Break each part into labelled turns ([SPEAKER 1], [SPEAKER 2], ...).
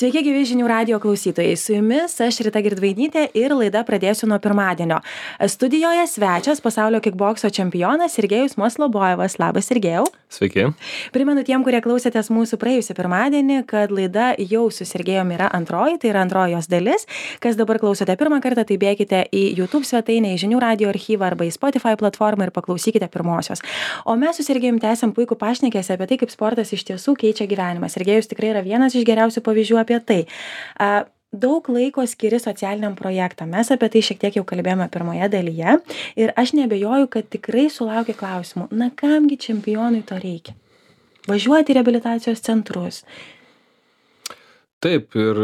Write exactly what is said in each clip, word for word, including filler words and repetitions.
[SPEAKER 1] Sveiki, gyvi žinių radijo klausytojai. Su jumis aš Rita Girdvainytė ir laida pradėsiu nuo pirmadienio. Studijoje svečias pasaulio kikbokso čempionas Sergejus Maslobojevas. Labas, Sergejau.
[SPEAKER 2] Sveiki.
[SPEAKER 1] Primenu tiem, kurie klausėtės mūsų praėjusį pirmadienį, kad laida jau su Sergejumi yra antroji, tai yra antroji jos dalis. Kas dabar klausote pirmą kartą, tai bėkite į YouTube svetainę, į žinių radijo archyvą arba į Spotify platformą ir paklausykite pirmosios. O mes su Sergejumi tęsiam puikų pašnekesį apie tai, kaip sportas iš tiesų keičia gyvenimą. Sergejus tikrai yra vienas iš geriausių pavyzdžių apie tai. A, daug laiko skiri socialiniam projektam. Mes apie tai šiek tiek jau kalbėjome pirmoje dalyje ir aš neabejoju, kad tikrai sulaukia klausimų. Na, kamgi čempionui to reikia? Važiuoti į reabilitacijos centrus.
[SPEAKER 2] Taip, ir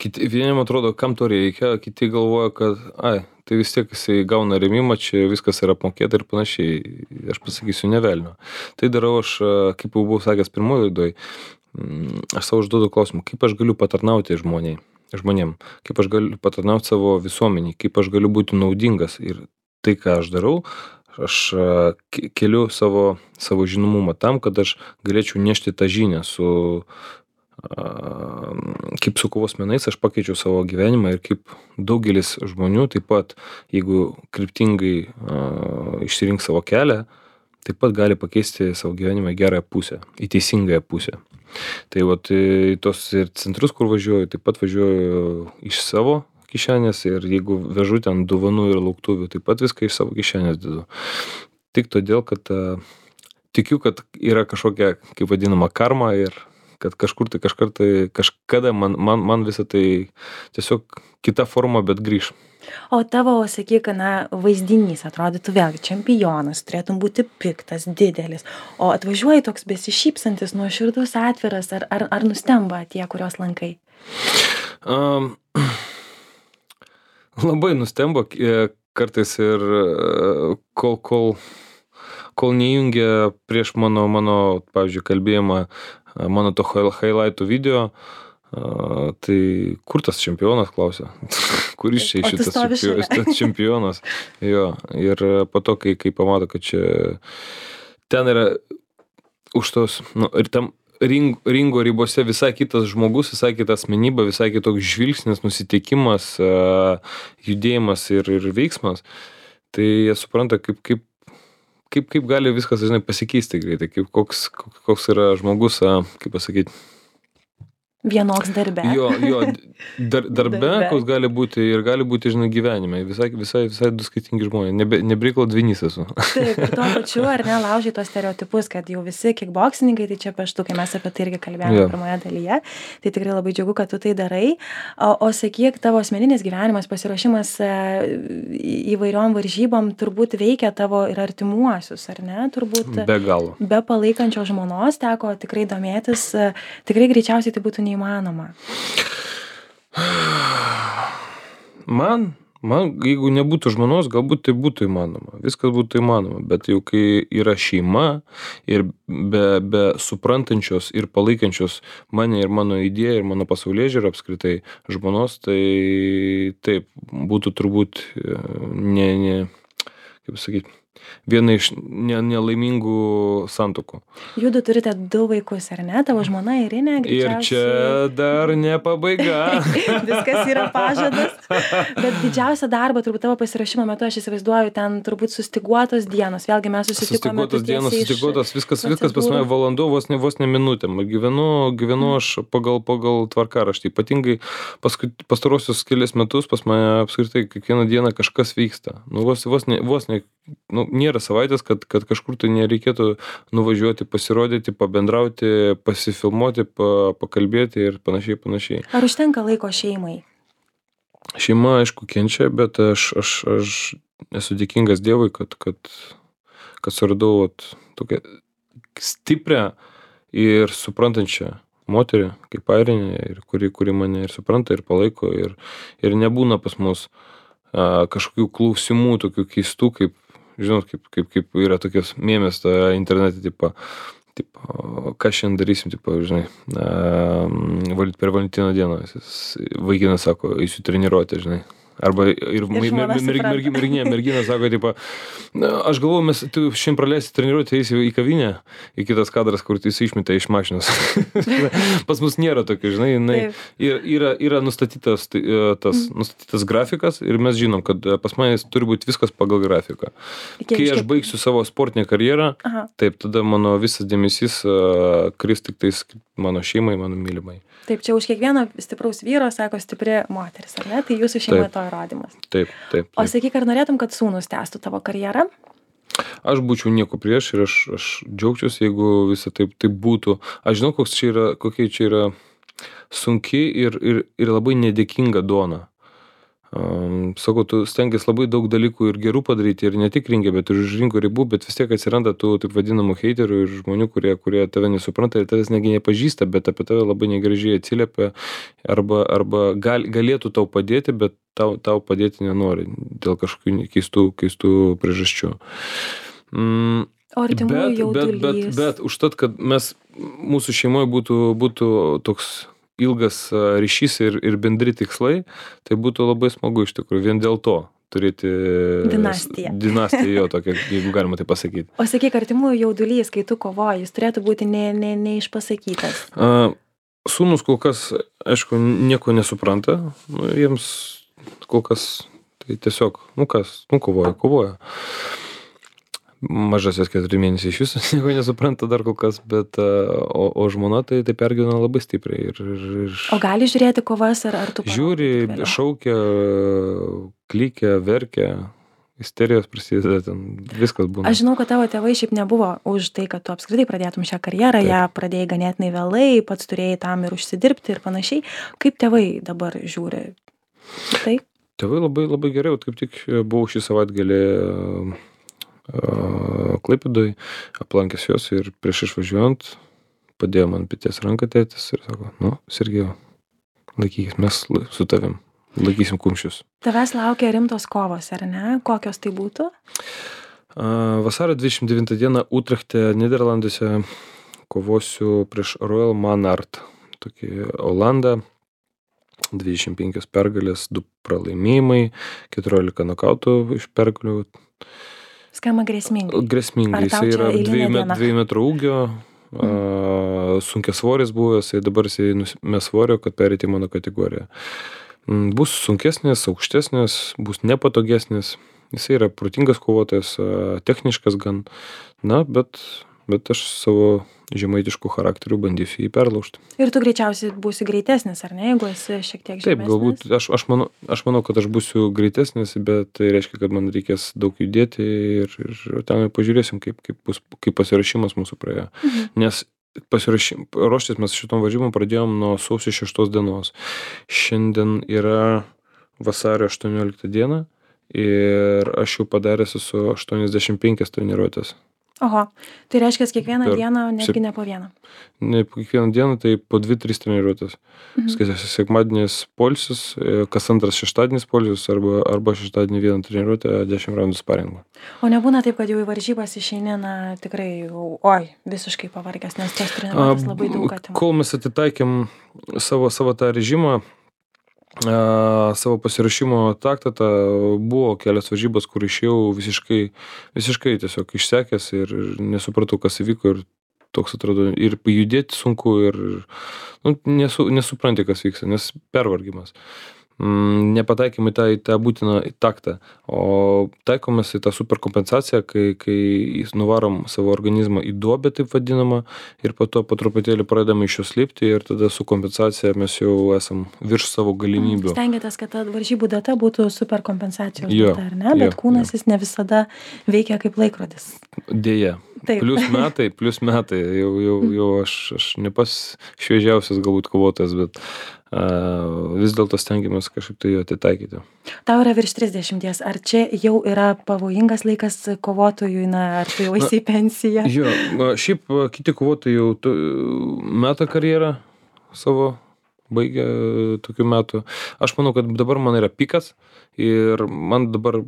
[SPEAKER 2] kiti, vieniem atrodo, kam to reikia, kiti galvoja, kad ai, tai vis tiek jisai gauna rėmimą, čia viskas yra apmokėta ir panašiai. Aš pasakysiu, ne velnio. Tai darau aš, kaip jau buvau sakęs pirmoje laidoje, aš savo užduodu klausimą, kaip aš galiu patarnauti žmoniai, žmonėm, kaip aš galiu patarnauti savo visuomeniai, kaip aš galiu būti naudingas. Ir tai, ką aš darau, aš keliu savo, savo žinomumą tam, kad aš galėčiau nešti tą žinią su, kaip su kovos menais, aš pakeičiau savo gyvenimą ir kaip daugelis žmonių, taip pat, jeigu kryptingai išsirinks savo kelią, taip pat gali pakeisti savo gyvenimą į gerąją pusę, į teisingąją pusę. Tai vat į tos ir centrus, kur važiuoju, taip pat važiuoju iš savo kišenės ir jeigu vežu ten dovanų ir lauktuvių, taip pat viską iš savo kišenės dedu. Tik todėl, kad uh, tikiu, kad yra kažkokia, kaip vadinama, karma ir kad kažkur tai kažkartai, kažkada man, man, man visą tai tiesiog kita forma, bet grįž.
[SPEAKER 1] O tavo, sakyk, na, vaizdinys atrodytų vėlgi čempionas, turėtum būti piktas, didelis, o atvažiuoji toks besišypsantis, nuoširdus, atviras, ar, ar, ar nustemba tie, kurios lankai?
[SPEAKER 2] Um, labai nustemba kartais ir kol, kol, kol neįjungia prieš mano, mano, pavyzdžiui, kalbėjimą, mano to highlightų video, Uh, tai kur tas čempionas, klausia? Kuris čia šitas čempionas? čempionas? Jo, ir po to, kai, kai pamato, kad čia ten yra už tos, nu, ir tam ring, ringo ribose visai kitas žmogus, visai kita asmenybė, visai kitoks žvilgsnis, nusiteikimas, uh, judėjimas ir, ir veiksmas, tai jie supranta, kaip, kaip, kaip, kaip gali viskas, žinai, pasikeisti greitai, kaip koks, koks yra žmogus, uh, kaip pasakyti,
[SPEAKER 1] vienoks darbe.
[SPEAKER 2] Jo, jo, dar, darbe, darbe. Koks gali būti ir gali būti, žinai, gyvenime. Visai, visai, visai du skirtingi žmonės. Nebe, nebriklo dvinys esu.
[SPEAKER 1] Taip, ir tuo pačiu, ar ne, laužai tos stereotipus, kad jau visi kikboksininkai, tai čia peštukai, mes apie tai irgi kalbėjome yeah. pirmoje dalyje. Tai tikrai labai džiugu, kad tu tai darai. O, o sakyk, tavo asmeninis gyvenimas, pasiruošimas e, įvairiom varžybom turbūt veikia tavo ir artimuosius, ar ne? Turbūt
[SPEAKER 2] be galo.
[SPEAKER 1] Be palaikančio žmonos teko tikrai domėtis, e, tikrai greičiausiai tai būtų neįmanoma. Įmanoma.
[SPEAKER 2] Man, man, jeigu nebūtų žmonos, galbūt tai būtų įmanoma. Viskas būtų įmanoma, bet jau kai yra šeima ir be, be suprantančios ir palaikančios mane ir mano idėją ir mano pasaulėžiūrą apskritai žmonos, tai taip, būtų turbūt ne, ne kaip sakyti, viena iš ne, nelaimingų santuokų.
[SPEAKER 1] Judu turite du vaikus, ar ne? Tavo žmona Irinė, greičiausiai.
[SPEAKER 2] Ir čia dar ne pabaiga.
[SPEAKER 1] Viskas yra pažadas. Bet didžiausia darba, turbūt tavo pasirašymo metu, aš įsivaizduoju, ten turbūt sustiguotos dienos. Vėlgi mes susitikome.
[SPEAKER 2] Sustiguotos dienos, sustiguotos, viskas, viskas pas mane valandų, vos ne, vos ne minutėm. Gyvenu, gyvenu aš pagal, pagal tvarkaraštį. Ypatingai pastarosius kelias metus pas mane apskritai kiekvieną dieną kažkas vyksta. Nu, vos, vos ne, vos ne, nu, nėra savaitės, kad, kad kažkur tai nereikėtų nuvažiuoti, pasirodyti, pabendrauti, pasifilmuoti, pa, pakalbėti ir panašiai, panašiai.
[SPEAKER 1] Ar užtenka laiko šeimai?
[SPEAKER 2] Šeima, aišku, kenčia, bet aš, aš, aš esu dėkingas Dievui, kad, kad, kad suradau vat, tokią stiprią ir suprantančią moterį, kaip Airinė, ir kuri, kuri mane ir supranta, ir palaiko, ir, ir nebūna pas mus a, kažkokių klausimų, tokių keistų, kaip žinot, kaip, kaip, kaip yra tokios mėmės internete, tipo, tipo, ką šiandien darysim, tipo, žinai, a, per Valentino dieną. Vaikinas sako, eisiu treniruoti, žinai. Arba ir mer-
[SPEAKER 1] žmona
[SPEAKER 2] mer- mer-
[SPEAKER 1] supranta.
[SPEAKER 2] mergi- merginė, mergina sako, tipo, "Na, aš galvoju, mes tu šiandien praleisi treniruotę, eisi į kavinę, į kitas kadras, kur tu išmetė iš mašinos. Pas mus nėra tokio, žinai, jinai,
[SPEAKER 1] Taip.
[SPEAKER 2] yra, yra, yra nustatytas, tai, e, tas, nustatytas grafikas ir mes žinom, kad e, pas mane turi būti viskas pagal grafiką.
[SPEAKER 1] Kiek-
[SPEAKER 2] Kai aš
[SPEAKER 1] kiek-
[SPEAKER 2] baigsiu savo sportinę karjerą,
[SPEAKER 1] Aha.
[SPEAKER 2] taip, tada mano visas dėmesys uh, kris tik tais mano šeimai, mano mylimai.
[SPEAKER 1] Taip, čia už kiekvieno stipraus vyro, sako, stipri moteris, ar ne? Tai jūsų šeimoje
[SPEAKER 2] Taip.
[SPEAKER 1] to įrodymas.
[SPEAKER 2] Taip, taip.
[SPEAKER 1] O
[SPEAKER 2] taip.
[SPEAKER 1] sakyk, ar norėtum, kad sūnus tęstų tavo karjerą?
[SPEAKER 2] Aš būčiau nieko prieš ir aš, aš džiaugčiausi, jeigu visą taip, taip būtų. Aš žinau, koks čia yra, kokia čia yra sunki ir, ir, ir labai nedėkinga duona. Um, sakau, tu stengiasi labai daug dalykų ir gerų padaryti ir ne tik rinkę, bet ir už rinkų ribų, bet vis tiek atsiranda tų taip vadinamų heiterių ir žmonių, kurie, kurie tave nesupranta ir tavęs negi nepažįsta, bet apie tave labai negražiai atsiliepia arba, arba gal, galėtų tau padėti, bet tau, tau padėti nenori dėl kažkokių keistų, keistų priežasčių. Mm,
[SPEAKER 1] O artimųjų
[SPEAKER 2] bet, bet, bet,
[SPEAKER 1] jaudulys.
[SPEAKER 2] bet užtat, kad mes, mūsų šeimoje būtų, būtų toks ilgas a, ryšys ir, ir bendri tikslai, tai būtų labai smagu iš tikrųjų vien dėl to turėti
[SPEAKER 1] Dinastiją.
[SPEAKER 2] dinastiją jo tokią, jeigu galima tai pasakyti.
[SPEAKER 1] O sakyk, artimųjų jaudulys, kai tu kovoji, jis turėtų būti ne, ne, neišpasakytas.
[SPEAKER 2] A, sūnus kol kas, aišku, nieko nesupranta, nu, jiems kol kas tai tiesiog, nu kas, nu kovoja, kovoja. Mažasis keturi mėnesiai iš viso nieko nesupranta dar kol kas, bet a, o, o žmona tai, tai pergyvena labai stipriai. Ir, ir, ir
[SPEAKER 1] O gali žiūrėti kovas ar, ar tu parodai
[SPEAKER 2] žiūri,
[SPEAKER 1] tik vėliau?
[SPEAKER 2] šaukia, klykia, verkia, isterijos prasideda, ten viskas būna.
[SPEAKER 1] Aš žinau, kad tavo tėvai šiaip nebuvo už tai, kad tu apskritai pradėtum šią karjerą,
[SPEAKER 2] Taip.
[SPEAKER 1] ją pradėjai ganėtinai vėlai, pats turėjai tam ir užsidirbti ir panašiai. Kaip tėvai dabar žiūri? Tai?
[SPEAKER 2] Tėvai labai, labai gerai, vat kaip tik buvau šį savaitgalį Klaipėdoj, aplankęs juos ir prieš išvažiuojant padėjo man peties ranką tėtis ir sako, nu, Sergejau, laikykis, mes la- su tavim, laikysim kumščius.
[SPEAKER 1] Tavęs laukia rimtos kovos, ar ne? Kokios tai būtų?
[SPEAKER 2] A, Vasario dvidešimt devintą dieną Utrechte, Niderlanduose kovosiu prieš Royal Manart, tokį Olandą, dvidešimt penkios pergalės, du pralaimėjimai, keturiolika nokautų iš pergalių.
[SPEAKER 1] Skamba grėsmingai.
[SPEAKER 2] Grėsmingai,
[SPEAKER 1] Ar tau
[SPEAKER 2] jisai
[SPEAKER 1] čia
[SPEAKER 2] yra
[SPEAKER 1] eilinė
[SPEAKER 2] dviejų, met,
[SPEAKER 1] diena?
[SPEAKER 2] dviejų metrų ūgio, a, sunkias svoris buvęs, tai dabar jisai nusimė svorio, kad perėti į mano kategoriją. Mm, Bus sunkesnis, aukštesnis, bus nepatogesnis, jisai yra protingas kovotojas, a, techniškas gan, na, bet, bet aš savo žemaitiškų charakterių bandysiu jį perlaužti.
[SPEAKER 1] Ir tu greičiausiai būsi greitesnis, ar ne, jeigu esi šiek tiek žemesnis?
[SPEAKER 2] Taip, galbūt aš, aš, manau, aš manau, kad aš būsiu greitesnis, bet tai reiškia, kad man reikės daug judėti ir, ir ten pažiūrėsim, kaip, kaip, bus, kaip pasirašymas mūsų praėjo.
[SPEAKER 1] Mhm.
[SPEAKER 2] Nes pasirašym, ruoštis mes šitom varžybom pradėjom nuo sausio šeštos dienos. Šiandien yra vasario aštuoniolikta diena ir aš jau padaręs esu aštuoniasdešimt penkias treniruotės.
[SPEAKER 1] Oho, tai reiškia, kiekvieną
[SPEAKER 2] Per
[SPEAKER 1] dieną, netgi
[SPEAKER 2] sep-
[SPEAKER 1] ne po vieną.
[SPEAKER 2] Ne kiekvieną dieną, tai po dvi tris treniruotės.
[SPEAKER 1] Mhm.
[SPEAKER 2] Skaičiasi sekmadienis poilsis, e, kas antras šeštadienis poilsis arba, arba šeštadienį vieną treniruotę, dešimt raundų sparingų.
[SPEAKER 1] O nebūna taip, kad jau į varžybas išeini, na, tikrai jau, oi, visiškai pavargęs, nes tos
[SPEAKER 2] A,
[SPEAKER 1] treniruotės labai daug atima.
[SPEAKER 2] Kol mes atitaikėm savo, savo tą režimą, a, savo pasirašymo taktą, ta, buvo kelias varžybos, kur išėjau visiškai, visiškai tiesiog išsekęs ir nesupratau, kas įvyko ir toks atrodo ir judėti sunku ir nu, nesu, nesupranti, kas vyksta, nes pervargimas. Mm, nepataikėme tą, į tą būtiną taktą, o taikomės į tą superkompensaciją, kai, kai nuvarom savo organizmą į duobę, taip vadinamą, ir po to po truputėlį pradedame iš jos lipti ir tada su kompensacija mes jau esam virš savo galimybių.
[SPEAKER 1] Stengiatės, kad ta varžybų data būtų super kompensacijos
[SPEAKER 2] Jo,
[SPEAKER 1] data, ar ne? Bet
[SPEAKER 2] jo,
[SPEAKER 1] kūnas
[SPEAKER 2] jo.
[SPEAKER 1] jis ne visada veikia kaip laikrodis.
[SPEAKER 2] Deja.
[SPEAKER 1] Taip.
[SPEAKER 2] Plius metai, plius metai, jau, jau, jau aš, aš ne pas šviežiausias galbūt kovotojas, bet uh, vis dėlto stengiamės kažkaip tai jo atitaikyti.
[SPEAKER 1] Tau yra virš trisdešimties, ar čia jau yra pavojingas laikas kovotojui, na, ar tu jau esi į pensiją?
[SPEAKER 2] Jo, a, šiaip a, kiti kovotojai jau tu, meta karjerą savo, baigia tokių metų. Aš manau, kad dabar man yra pikas ir man dabar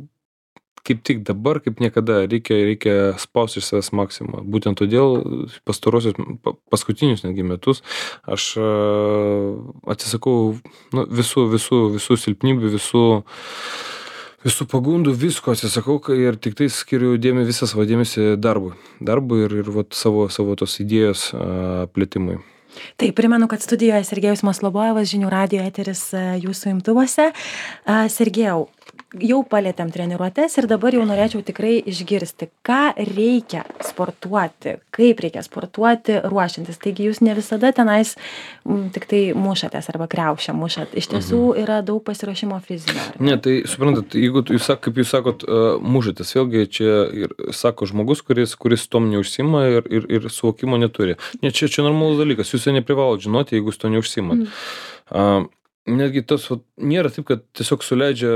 [SPEAKER 2] kaip tik dabar, kaip niekada, reikia, reikia spausti iš savęs maksimumą. Būtent todėl pastarosius, pa- paskutinius netgi metus aš a, atsisakau nu, visų, visų, visų silpnybių, visų, visų pagundų, visko atsisakau kai- ir tik tai skiriu dėmesį, visą savo dėmesį darbui. Darbui ir, ir vat, savo, savo tos idėjos a, plėtimui.
[SPEAKER 1] Tai primenu, kad studijoje Sergejus Maslobojevas, Žinių radijo eteris a, jūsų imtuvose. A, Sergejau, jau palėtėm treniruotes ir dabar jau norėčiau tikrai išgirsti, ką reikia sportuoti, kaip reikia sportuoti ruošiantis. Taigi jūs ne visada tenais m, tik tai mušatės arba kriaušę mušat. Iš tiesų yra daug pasiruošimo fizinio. ar ne?
[SPEAKER 2] Ne, tai suprantat, jeigu tu- jūs, sak- kaip jūs sakot, uh, mužatės, vėlgi čia ir sako žmogus, kuris, kuris tom neužsima ir, ir, ir suvokimo neturi. Ne, čia, čia normalus dalykas, jūs jo neprivalot žinoti, jeigu jūs to neužsimat. Mm. Uh, netgi tas vat, nėra taip, kad tiesiog suleidžia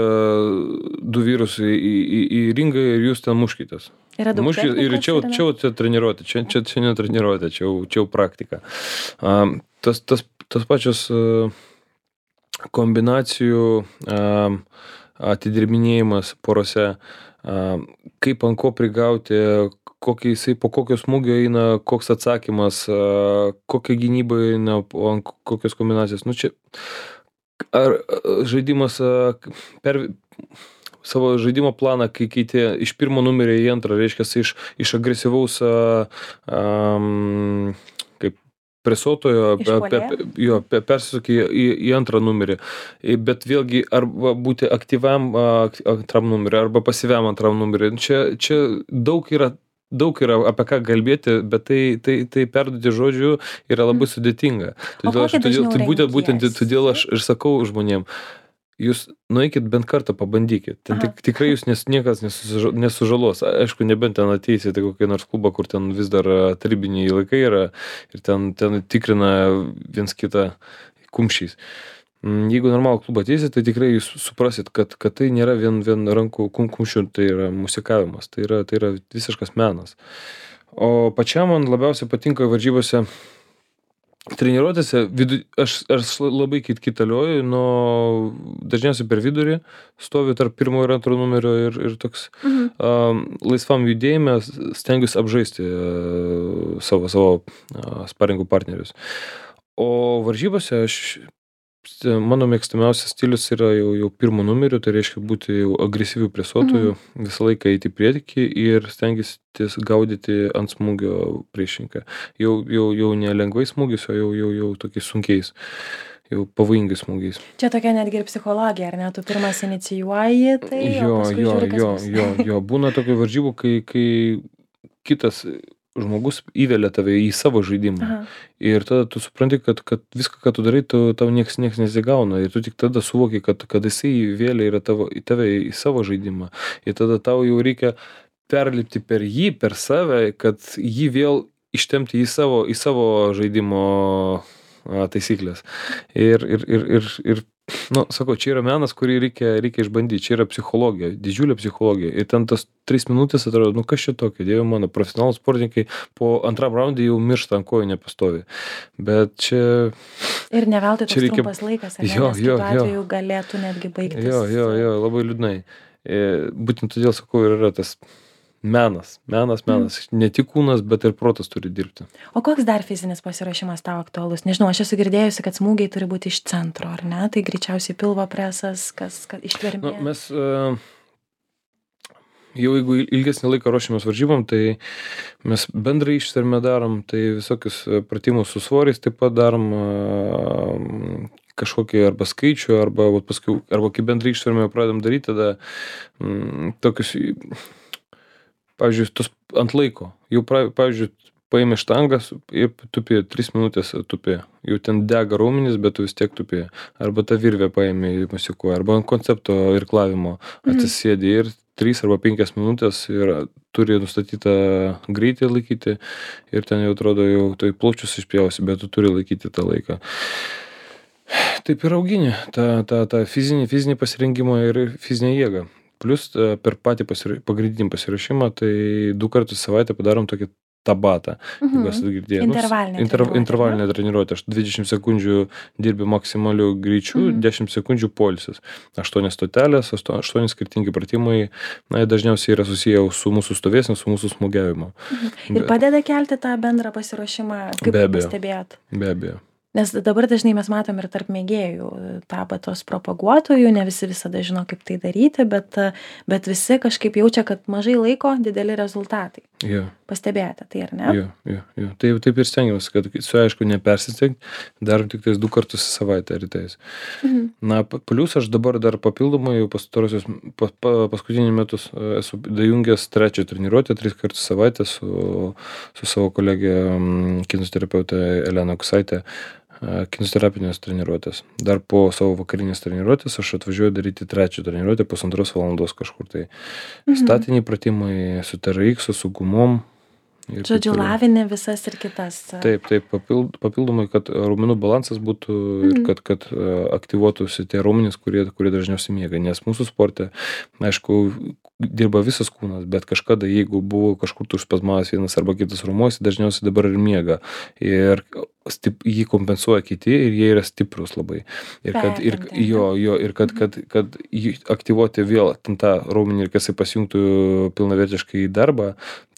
[SPEAKER 2] du vyrus į, į, į- į ringą ir jūs ten muškitės.
[SPEAKER 1] Yra daug
[SPEAKER 2] Muškit, ir
[SPEAKER 1] technikos,
[SPEAKER 2] čia, jau-
[SPEAKER 1] ar ne?
[SPEAKER 2] čia, jau čia treniruotė, čia, čia, čia ne treniruotė, čia, jau- čia jau praktika. Um, tas, tas, tas pačios uh, kombinacijų um, atidirbinėjimas porose, um, kaip ant ko prigauti, kokį jisai, po kokio smūgio eina, koks atsakymas, uh, kokia gynyba eina, po- ant kokios kombinacijos. Nu, čia, ar a, žaidimas a, per savo žaidimo planą, kai keitė iš pirmo numerio į antrą, reiškia, iš, iš agresyvaus a, am, kaip presuotojo, pe, pe,
[SPEAKER 1] Išpuolėjo?
[SPEAKER 2] pe- jo, pe, persisukė į, į antrą numerį. I- Bet vėlgi, arba būti aktyviam a, ak- antram numeriu, arba pasyviam antram numeriu. Čia, čia daug yra daug yra apie ką kalbėti, bet tai, tai, tai perduoti žodžiu yra labai sudėtinga. Todėl, aš,
[SPEAKER 1] kokį
[SPEAKER 2] todėl,
[SPEAKER 1] dažniau
[SPEAKER 2] tai būtent, būtent
[SPEAKER 1] renkiesi?
[SPEAKER 2] todėl aš ir sakau žmonėm, jūs nueikit bent kartą pabandykit. Ten
[SPEAKER 1] Aha.
[SPEAKER 2] tik, tikrai jūs nes, niekas nesuža- nesužalos. Aišku, nebent ten ateisite kokį nors klubą, kur ten vis dar a, tarybiniai laikai yra ir ten, ten tikrina viens kitą kumščiais. Mm, Jeigu normalų klubą ateisit, tai tikrai jūs suprasit, kad, kad tai nėra vien, vien rankų kum- kumščių, tai yra musikavimas, tai yra, tai yra visiškas menas. O pačiam man labiausiai patinka varžybose treniruotėse, vidu, aš, aš labai kit kitalioju, nuo dažniausiai per vidurį, stoviu tarp pirmo ir antro numerio ir, ir toks
[SPEAKER 1] Mhm.
[SPEAKER 2] um, laisvam judėjime stengiuosi apžaisti uh, savo, savo uh, sparingų partnerius. O varžybose aš, mano mėgstamiausias stilius yra jau, jau pirmo numeriu, tai reiškia būti jau agresyvių presuotojų, mhm. visą laiką eiti į priekį ir stengiasi gaudyti ant smūgio priešininką. Jau, jau, jau ne lengvais smūgiais, o jau, jau, jau tokiais sunkiais, jau pavojingais smūgiais.
[SPEAKER 1] Čia tokia netgi ir psichologija, ar ne? Tu pirmas inicijuoji, tai
[SPEAKER 2] Jo,
[SPEAKER 1] o paskui
[SPEAKER 2] jo,
[SPEAKER 1] žiūri, kas
[SPEAKER 2] jo,
[SPEAKER 1] bus.
[SPEAKER 2] jo, jo, būna tokių varžybų, kai, kai kitas žmogus įvelia tave į savo žaidimą.
[SPEAKER 1] Aha.
[SPEAKER 2] Ir tada tu supranti, kad, kad viską, ką tu darai, tu, tau nieks, nieks nesigauna. Ir tu tik tada suvoki, kad, kad jisai įvėlė yra tavo, į tave į savo žaidimą. Ir tada tau jau reikia perlipti per jį, per save, kad jį vėl ištempti į savo, į savo žaidimo a, taisyklės. Ir, ir, ir, ir, ir nu, sakau, čia yra menas, kurį reikia, reikia išbandyti. Čia yra psichologija, didžiulė psichologija. Ir ten tas tris minutės atrodo, nu kas čia tokio, dieve mano, profesionalūs sportininkai po antram raundui jau miršta ant kojų nepastovi. Bet čia...
[SPEAKER 1] Ir ne veltui toks
[SPEAKER 2] Čia reikia-
[SPEAKER 1] trumpas laikas, ar ne?
[SPEAKER 2] Jo,
[SPEAKER 1] Nes
[SPEAKER 2] jo,
[SPEAKER 1] kitu
[SPEAKER 2] jo.
[SPEAKER 1] atveju galėtų netgi baigtis.
[SPEAKER 2] Jo, jo, jo, labai liūdnai. E, būtent todėl sakau, ir yra tas menas, menas, menas. Ne tik kūnas, bet ir protas turi dirbti.
[SPEAKER 1] O koks dar fizinis pasiruošimas tau aktualus? Nežinau, aš esu girdėjusi, kad smūgiai turi būti iš centro, ar ne? Tai greičiausiai pilvo presas, kas, kas ištvermė.
[SPEAKER 2] Nu, mes e, jau jeigu ilgesnį laiką ruošiamės varžybom, tai mes bendrai ištvermę darom, tai visokius e, pratimus su svoriais taip pat darom, e, kažkokį arba skaičių, arba, vat paskui, arba kai bendrai ištvermę pradedam daryti, tada mm, tokius, pavyzdžiui, tos ant laiko. Jau, pra- pavyzdžiui, paėmė štangas ir tupi, tris minutės tupi. Jau ten dega raumenys, bet tu vis tiek tupi. Arba tą virvę paėmė į musikuoja, arba ant koncepto irklavimo atsisėdi ir trys arba penkias minutės ir turi nustatytą greitį laikyti ir ten jau atrodo, jau tai plaučius išpjausi, bet tu turi laikyti tą laiką. Taip ir augini tą, tą, tą fizinį, fizinį pasirengimą ir fizinę jėgą. Plius e, per patį pasira- pagrindinį pasiruošimą, tai du kartus į savaitę padarom tokį tabatą.
[SPEAKER 1] Mhm.
[SPEAKER 2] Jeigu esate girdėję.
[SPEAKER 1] Intervalinė
[SPEAKER 2] Inter,
[SPEAKER 1] treniruotė,
[SPEAKER 2] intervalinė treniruotė. Aš dvidešimt sekundžių dirbi maksimaliu greičiu,
[SPEAKER 1] Mhm.
[SPEAKER 2] dešimt sekundžių poilsis. aštuonios stotelės, aštuo- aštuoni skirtingi pratimai. Na, jie dažniausiai yra susiję su mūsų stovėsena, su mūsų smūgiavimu.
[SPEAKER 1] Mhm. Ir
[SPEAKER 2] Bet-
[SPEAKER 1] padeda kelti tą bendrą pasiruošimą, kaip
[SPEAKER 2] Be abejo.
[SPEAKER 1] pastebėjot?
[SPEAKER 2] Be abejo.
[SPEAKER 1] Nes dabar dažnai mes matom ir tarp mėgėjų tabatos propaguotojų, ne visi visada žino, kaip tai daryti, bet, bet visi kažkaip jaučia, kad mažai laiko, dideli rezultatai.
[SPEAKER 2] Jo.
[SPEAKER 1] Pastebėjote tai, ar ne?
[SPEAKER 2] Jo, jo, jo. Taip, taip ir stengiamės, kad su aišku nepersistengti, darom tik tais du kartus į savaitę rytais.
[SPEAKER 1] Mhm.
[SPEAKER 2] Na, pa- plius aš dabar dar papildomai jau pastarosius, pa, pa, paskutinį metus e, esu dajungęs trečią treniruotę, tris kartus į savaitę su, su savo kolegė mm, kineziterapeutė Elena Kusaitė. e, Kineziterapinės treniruotės. Dar po savo vakarinės treniruotės aš atvažiuoju daryti trečią treniruotę pusantros valandos kažkur tai.
[SPEAKER 1] Mhm.
[SPEAKER 2] Statiniai pratimai su T R X, su gumom. ir taip
[SPEAKER 1] Žodžiu,
[SPEAKER 2] toliau.
[SPEAKER 1] lavinė visas ir kitas.
[SPEAKER 2] Taip, taip, papild, papildomai, kad raumenų balansas būtų ir
[SPEAKER 1] Mhm.
[SPEAKER 2] kad, kad e, aktyvuotųsi tie raumenys, kurie, kurie dažniausiai miega. Nes mūsų sporte, aišku, dirba visas kūnas, bet kažkada, jeigu buvo kažkur tu užspazmavęs vienas arba kitas raumuo, jis dažniausiai dabar ir miega. Ir stip, jį kompensuoja kiti ir jie yra stiprus labai. Ir kad, ir,
[SPEAKER 1] Pertempti, ne?
[SPEAKER 2] jo, jo, ir kad, kad, kad jį aktyvuoti vėl ten tą raumenį ir kad jisai pasijungtų pilnavertiškai į darbą,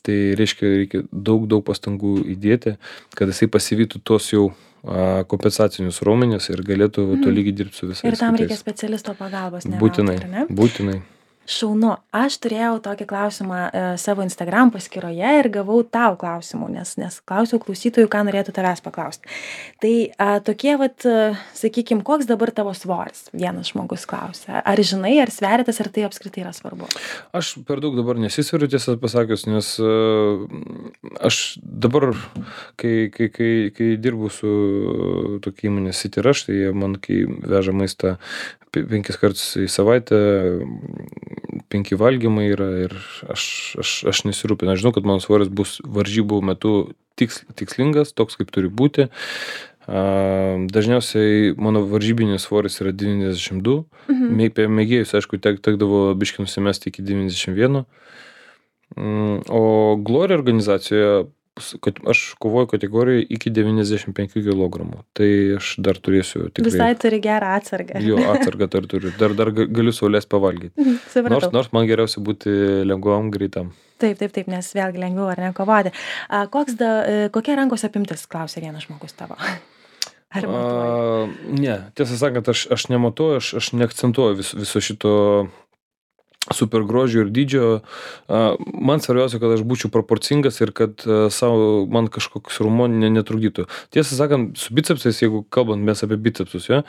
[SPEAKER 2] tai reiškia, reikia daug, daug pastangų įdėti, kad jisai pasivytų tos jau a, kompensacinius raumenis ir galėtų
[SPEAKER 1] Mhm.
[SPEAKER 2] tolygiai dirbti su visais.
[SPEAKER 1] Ir tam reikia
[SPEAKER 2] kitais.
[SPEAKER 1] specialisto pagalbos. ne
[SPEAKER 2] Būtinai,
[SPEAKER 1] veltui, ar ne?
[SPEAKER 2] būtinai.
[SPEAKER 1] Šaunu. Aš turėjau tokį klausimą e, savo Instagram paskyroje ir gavau tau klausimų, nes, nes klausiau klausytojų, ką norėtų tavęs paklausti. Tai a, tokie, vat, sakykime, koks dabar tavo svoris? Vienas žmogus klausia. Ar žinai, ar sveritas, ar tai apskritai yra svarbu?
[SPEAKER 2] Aš per daug dabar nesisveriu, tiesą pasakius, nes e, aš dabar, kai, kai, kai, kai dirbu su tokia įmonė City Rush, tai jie man, kai veža maistą pe- penkis kartus į savaitę, penki valgymai yra ir aš, aš, aš nesirūpinu. Aš žinau, kad mano svoris bus varžybų metu tiks, tikslingas, toks kaip turi būti. A, dažniausiai mano varžybinis svoris yra devyniasdešimt du.
[SPEAKER 1] Mhm.
[SPEAKER 2] Mė- Apie mėgėjus, aišku, tek, tekdavo biškį nusimesti iki devyniasdešimt vieno. Mm, O Glory organizacijoje, s- kad aš kovoju kategorijoje iki devyniasdešimt penkių kilogramų. Tai aš dar turėsiu tikrai.
[SPEAKER 1] Visai turi gerą atsargą.
[SPEAKER 2] Jo, atsargą dar turiu. Dar, dar ga- galiu saulės pavalgyti.
[SPEAKER 1] Mhm, supratau.
[SPEAKER 2] Nors, nors man geriausia būti lengvam, greitam.
[SPEAKER 1] Taip, taip, taip, nes vėlgi lengviau ar ne kovoti. A, koks da, e, kokia rankos apimtis, klausė vienas žmogus tavo. Ar matuoji?
[SPEAKER 2] A, ne, tiesą sakant, aš, aš nematuoju, aš, aš neakcentuoju vis, viso šito super grožio ir dydžio. A, Man svarbiausia, kad aš būčiau proporcingas ir kad a, savo man kažkoks raumuo ne, netrukdytų. Tiesą sakant, su bicepsais, jeigu kalbant mes apie bicepsus, jo,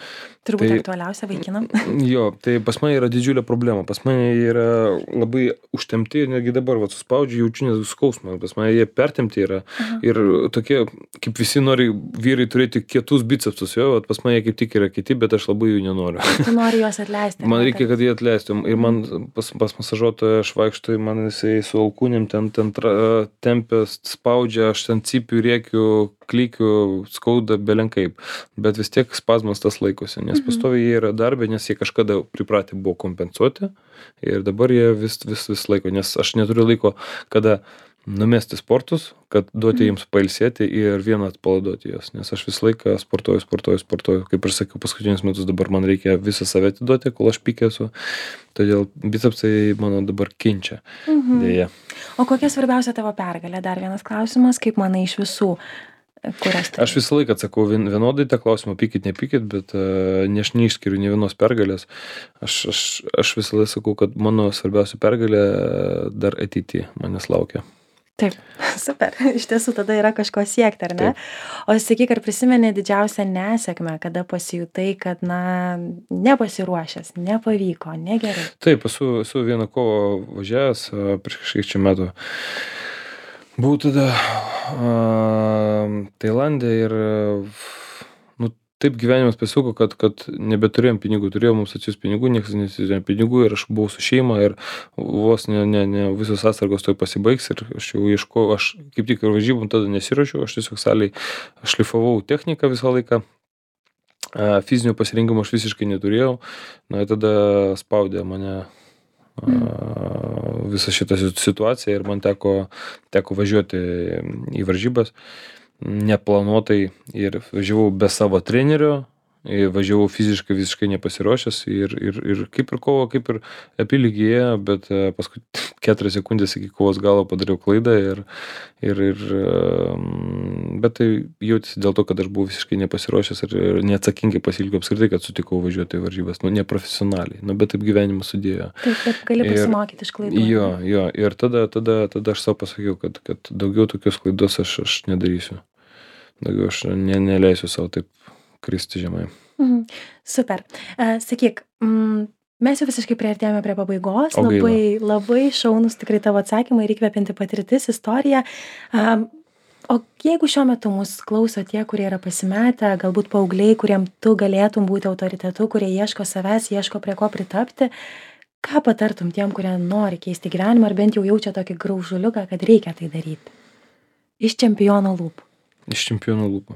[SPEAKER 1] Turbūt
[SPEAKER 2] tai-
[SPEAKER 1] aktualiausia vaikinam.
[SPEAKER 2] jo, tai pas mane yra didžiulė problema. Pas mane jie yra labai užtemti ir netgi dabar, va, suspaudžiu, jaučiu net skausmą. Pas mane jie pertemti yra.
[SPEAKER 1] Aha.
[SPEAKER 2] Ir tokie, kaip visi nori vyrai turėti kietus bicepsus, jo, vat pas mane kaip tik yra kiti, bet aš labai jų nenoriu.
[SPEAKER 1] Tu nori juos atleisti.
[SPEAKER 2] Man
[SPEAKER 1] ne,
[SPEAKER 2] reikia, kad jie atleistų. Ir man pas, pas masažuotoją aš vaikštu, ir man jisai su alkūnėm ten, ten tra, tempia, spaudžia, aš ten cipiu, rėkiu, klykiu, skauda belenkaip. Bet vis tiek spazmas tas laikosi, nes
[SPEAKER 1] Mhm.
[SPEAKER 2] pastoviai jie yra darbė, nes jie kažkada pripratę buvo kompensuoti ir dabar jie vis, vis, vis laiko, nes aš neturiu laiko, kada numesti sportus, kad duoti
[SPEAKER 1] Mhm.
[SPEAKER 2] jiems pailsėti ir vieną atpalaiduoti juos, nes aš visą laiką sportuoju, sportuoju, sportuoju. Kaip ir sakiau, paskutinius metus dabar man reikia visą save atiduoti, kol aš pykė esu. Todėl bicepsai mano dabar kenčia.
[SPEAKER 1] Mhm.
[SPEAKER 2] Dėja.
[SPEAKER 1] O kokia svarbiausia tavo pergalė? Dar vienas klausimas, kaip manai iš visų, kurias tai?
[SPEAKER 2] Aš visą laiką atsakau vien- vienodai tą klausimą, pykit, nepykit, bet uh, ne aš neišskiriu ne vienos pergalės. Aš, aš, aš visą laiką sakau, kad mano svarbiausia pergalė e, dar ateityje manęs laukia.
[SPEAKER 1] Taip, super. Iš tiesų tada yra kažko siekti, ar ne?
[SPEAKER 2] Taip.
[SPEAKER 1] O sakyk, ar prisimeni didžiausią nesėkmę, kada pasijutai, kad, na, nepasiruošęs, nepavyko, negerai?
[SPEAKER 2] Taip, esu, esu vieną kovą važiavęs a, prieš kažkiek čia metų. Buvau tada a, Tailande ir nu, taip gyvenimas pasisuko, kad, kad nebeturėjom pinigų, turėjom mums atsiųs pinigų, niekas nesiūsėjo pinigų ir aš buvau su šeima ir vos ne, ne, ne visos atsargos toj pasibaigs ir aš jau ieškojau, aš kaip tik ir varžybom tada nesiruošiau, aš tiesiog saliai šlifavau techniką visą laiką. A, Fizinio pasirinkimo aš visiškai neturėjau, na ir tada spaudė mane a, visą šitą situaciją ir man teko, teko važiuoti į varžybas neplanuotai ir važiavau be savo trenerio, važiavau fiziškai visiškai nepasiruošęs ir, ir, ir kaip ir kovo, kaip ir apylygėje, bet paskui keturias sekundės iki kovos galo padariau klaidą ir, ir, ir bet tai jautėsi dėl to, kad aš buvau visiškai nepasiruošęs ir neatsakingai pasiilgiau apskritai, kad sutikau važiuoti į varžybas, nu neprofesionaliai, nu bet taip gyvenimas sudėjo.
[SPEAKER 1] Taip, taip gali pasimokyti iš klaidų.
[SPEAKER 2] Jo, jo, ir tada, tada, tada aš savo pasakiau, kad, kad daugiau tokios klaidos aš, aš nedarysiu. Daugiau aš ne, neleisiu savo taip kristi žemai.
[SPEAKER 1] Mhm. Super. Uh, sakyk, mm, mes jau visiškai priartėjome prie pabaigos. Labai, labai šaunus tikrai tavo atsakymai ir įkvepianti patirtis, istorija. Uh, o jeigu šiuo metu mus klauso tie, kurie yra pasimetę, galbūt paaugliai, kuriem tu galėtum būti autoritetu, kurie ieško savęs, ieško prie ko pritapti, ką patartum tiem, kurie nori keisti gyvenimą ar bent jau jaučia tokį graužuliuką, kad reikia tai daryti? Iš čempiono lūpų.
[SPEAKER 2] Iš čempiono lūpų.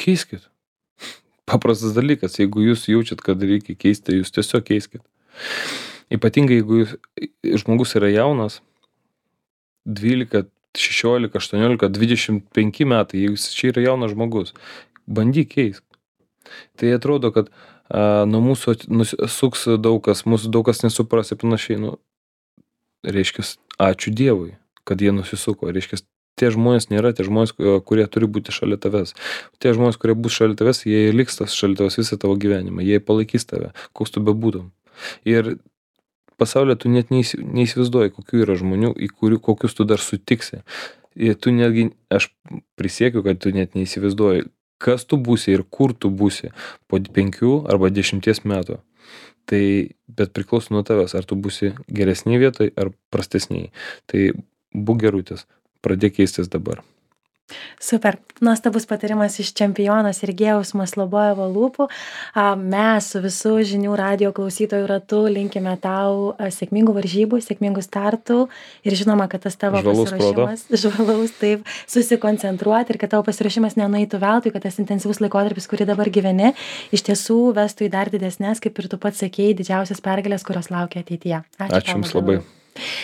[SPEAKER 2] Keiskit. Paprastas dalykas, jeigu jūs jaučiat, kad reikia keisti, jūs tiesiog keiskit. Ypatingai, jeigu jūs, žmogus yra jaunas, dvylika, šešiolika, aštuoniolika, dvidešimt penki metai, jeigu jis čia yra jaunas žmogus, bandyk keisk. Tai atrodo, kad a, nuo mūsų suks daug kas, mūsų daug kas nesupras ir panašiai. Nu, reiškia, ačiū Dievui, kad jie nusisuko. Reiškia, tie žmonės nėra tie žmonės, kurie turi būti šalia tavęs. Tie žmonės, kurie bus šalia tavęs, jie liks tas šalia tavęs visą tavo gyvenimą. Jie palaikys tave, koks tu bebūtum. Ir pasaulyje tu net neįsivaizduoji, kokių yra žmonių, į kurių, kokius tu dar sutiksi. Ir tu netgi, aš prisiekiu, kad tu net neįsivaizduoji, kas tu būsi ir kur tu būsi po penkių arba dešimties metų. Tai, bet priklauso nuo tavęs, ar tu būsi geresniai vietai ar prastesniai. Tai būk gerutis. Pradėk keistis dabar.
[SPEAKER 1] Super. Nuostabus patarimas iš čempiono Sergejaus Maslobojevo lūpų. Mes su visų žinių radijo klausytojų ratu linkime tau sėkmingų varžybų, sėkmingų startų ir žinoma, kad tas tavo
[SPEAKER 2] žvalaus
[SPEAKER 1] pasiruošimas, žvalaus, taip, susikoncentruoti ir kad tavo pasiruošimas nenueitų veltui, kad tas intensyvus laikotarpis, kurį dabar gyveni, iš tiesų vestų į dar didesnės, kaip ir tu pats sakėjai, didžiausias pergalės, kurios laukia ateityje. Ačiū,
[SPEAKER 2] Ačiū Jums labai.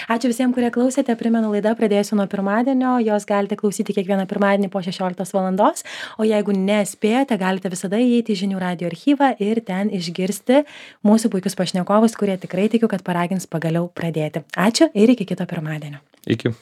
[SPEAKER 1] Ačiū visiems, kurie klausėte. Primenu, laida pradėsiu nuo pirmadienio. Jos galite klausyti kiekvieną pirmadienį po šešioliktos valandos. O jeigu nespėjate, galite visada įeiti į žinių radijo archyvą ir ten išgirsti mūsų puikius pašnekovus, kurie tikrai tikiu, kad paragins pagaliau pradėti. Ačiū ir iki kito pirmadienio.
[SPEAKER 2] Iki.